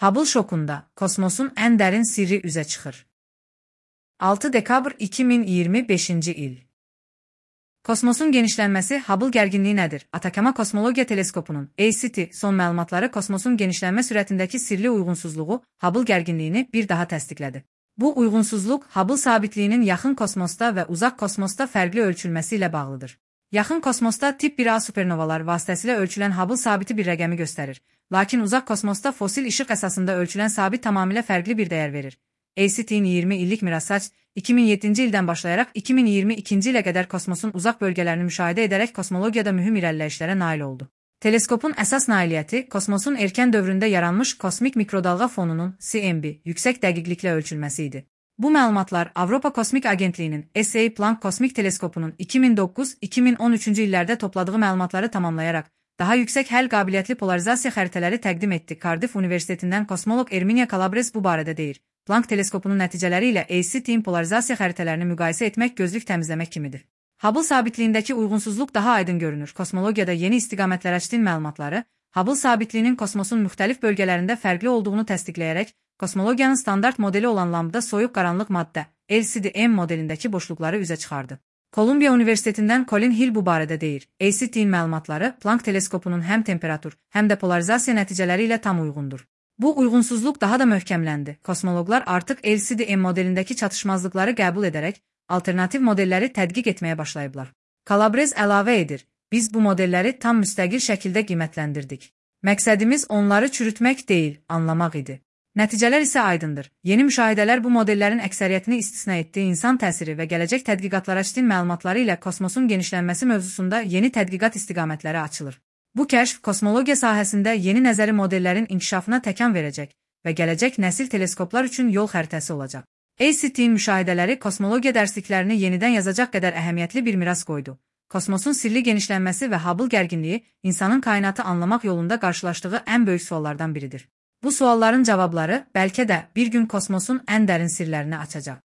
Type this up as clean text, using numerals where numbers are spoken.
Hubble şokunda kosmosun ən dərin sirri üzə çıxır. 6 dekabr 2025-ci il. Kosmosun genişlənməsi Hubble gərginliyi nədir? Atakama Kosmologiya Teleskopunun ACT son məlumatları kosmosun genişlənmə sürətindəki sirli uyğunsuzluğu Hubble gərginliyini bir daha təsdiqlədi. Bu uyğunsuzluq Hubble sabitliyinin yaxın kosmosda və uzaq kosmosda fərqli ölçülməsi ilə bağlıdır. Yaxın kosmosda tip 1A supernovalar vasitəsilə ölçülən Hubble sabiti bir rəqəmi göstərir, lakin uzaq kosmosda fosil işıq əsasında ölçülən sabit tamamilə fərqli bir dəyər verir. ACT-in 20 illik mirassaç 2007-ci ildən başlayaraq 2022-ci ilə qədər kosmosun uzaq bölgələrini müşahidə edərək kosmologiyada mühüm irəliləyişlərə nail oldu. Teleskopun əsas nailiyyəti kosmosun erkən dövründə yaranmış kosmik mikrodalğa fonunun CMB yüksək dəqiqliklə ölçülməsi idi. Bu məlumatlar Avropa Kosmik Agentliyinin SA Planck Kosmik Teleskopunun 2009-2013-cü illərdə topladığı məlumatları tamamlayaraq daha yüksək həll qabiliyyətli polarizasiya xəritələri təqdim etdi. Cardiff Universitetindən kosmoloq Erminia Calabres bu barədə deyir. Planck teleskopunun nəticələri ilə ACT-in polarizasiya xəritələrini müqayisə etmək gözlük təmizləmək kimidir. Hubble sabitliyindəki uyğunsuzluq daha aydın görünür. Kosmologiyada yeni istiqamətlər açdığın məlumatları Hubble sabitliyinin kosmosun müxtəlif bölgələrində fərqli olduğunu təsdiqləyərək kosmologiyanın standart modeli olan lambda soyuq qaranlıq maddə LCD-M modelindəki boşluqları üzə çıxardı. Kolumbiya Universitetindən Colin Hill bu barədə deyir. ACT-in məlumatları Planck teleskopunun həm temperatur, həm də polarizasiya nəticələri ilə tam uyğundur. Bu uyğunsuzluq daha da möhkəmləndi. Kosmoloqlar artıq LCD-M modelindəki çatışmazlıqları qəbul edərək alternativ modelləri tədqiq etməyə başlayıblar. Calabres əlavə edir: "Biz bu modelləri tam müstəqil şəkildə qiymətləndirdik. Məqsədimiz onları çürütmək deyil, anlamaq idi." Nəticələr isə aydındır. Yeni müşahidələr bu modellərin əksəriyyətini istisna etdiyi insan təsiri və gələcək tədqiqatlara aşdığın məlumatları ilə kosmosun genişlənməsi mövzusunda yeni tədqiqat istiqamətləri açılır. Bu kəşf kosmologiya sahəsində yeni nəzəri modellərin inkişafına təkan verəcək və gələcək nəsil teleskoplar üçün yol xəritəsi olacaq. ACT-in müşahidələri kosmologiya dərsliklərini yenidən yazacaq qədər əhəmiyyətli bir miras qoydu. Kosmosun sirli genişlənməsi və Hubble gərginliyi insanın kainatı anlamaq yolunda qarşılaşdığı ən böyük suallardan biridir. Bu sualların cavabları bəlkə də bir gün kosmosun ən dərin sirlərini açacaq.